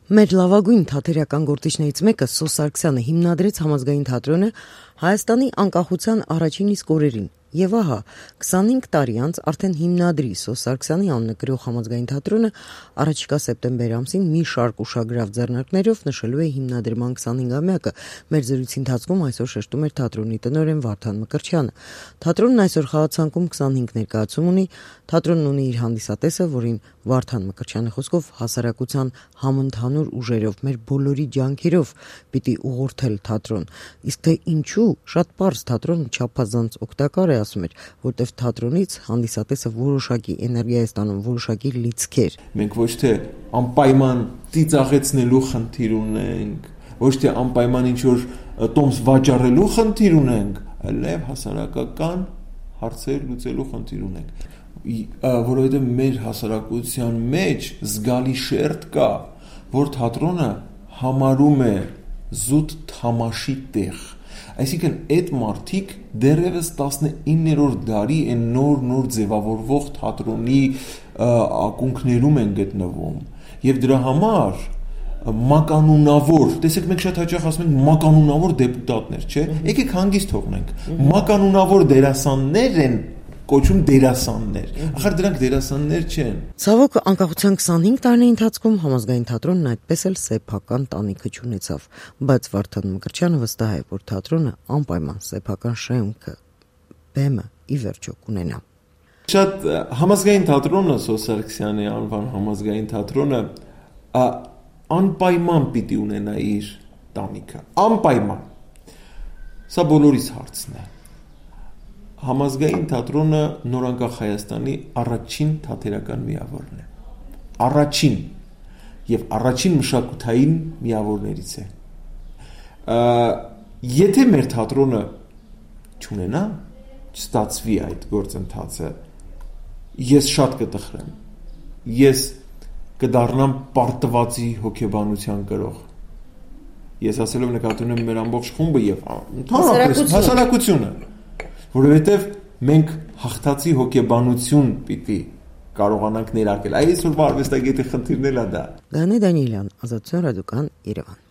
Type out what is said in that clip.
Մեր լավագույն թատերական գործիչներից մեկը Սո Սարգսյանը հիմնադրեց Համազգային թատրոնը Հայաստանի անկախության առաջին իսկ օրերին, եւ ահա 25 տարի անց արդեն հիմնադրի Սո Սարգսյանի անունը կրող Համազգային թատրոնը առաջիկա սեպտեմբեր ամսին մի շարք ուշագրավ ձեռնարկներով նշելու է հիմնադրման 25-ամյակը։ Մեր զրույցի ընթացքում այսօր շեշտում էր թատրոնի տնօրեն Վարդան Մկրտչյանը։ Թատրոնն այսօր խաղացանկում 25 ներկայացում ունի, թատրոնն ունի իր հանդիսատեսը, որին Վարդան Մկրտչյանի խոսքով հասարակության համընդհանուր ուժերով, մեր բոլորի ջանքերով պիտի ուղղորդել թատրոն։ Իսկ թե ինչու, շատ պարզ, թատրոնը չափազանց օգտակար է, ասում էր, որտեվ թատրոնից հանդիսատեսը որոշակի էներգիա է ստանում, որոշակի լիցքեր։ Մենք ոչ թե անպայման ծիծաղեցնելու խնդիր ունենք, ոչ թե անպայման ինչ-որ տոմս վաճառելու խնդիր ունենք, այլև հասարակական հարցեր լուծելու խնդիր ունենք, որովհետև մեր հասարակության մեջ զգալի շերտ կա, որ թատրոնը համարում է զուտ թամաշի տեղ։ Այսինքն այդ մարդիկ դեռևս 19-րդ դարի այն նոր ձևավորվող թատրոնի ակունքներում են գտնվում, եւ դրա համար մականունավոր, տեսեք, մենք շատ հաճախ ասում ենք մականունավոր դեպուտատներ, չէ՞։ Եկեք հանգիստ թողնենք։ Մականունավոր դերասաններ են կոչում դերասաններ։ Ախր դրանք դերասաններ չեն։ Ցավոք, անկախության 25 տարիների ընթացքում Համազգային թատրոնն այդպես էլ սեփական տանիքը չունեցավ, բայց Վարդան Մկրտչյանը վստահ է, որ թատրոնը անպայման սեփական շեմքը, բեմը ի վերջո կունենա։ Շատ Համազգային թատրոնը, Սո Սարգսյանի անվան Համազգային թատրոնը անպայման պիտի ունենա իր տանիքը, անպայման։ Սա բոլորիս հարցն է։ Համազգային թատրոնը նորանկախ Հայաստանի առաջին թատերական միավորն է։ Առաջին եւ առաջին մշակութային միավորներից է։ Եթե մեր թատրոնը չունենա, չստացվի այդ գործընթացը, ես շատ կտխրեմ։ Ես կդառնամ պարտվածի հոգեբանության կրող։ Ես ասելով նկատի ունեմ մեր ամբողջ խումբը եւ հասարակությունը, որովհետեւ մենք հաղթածի հոգեբանություն պիտի կարողանանք ներարկել։ Այսօրվա արվեստագետի խնդիրն էլ է դա։ Գանե Դանիելյան, Ազատություն ռադիոկան, Երևան։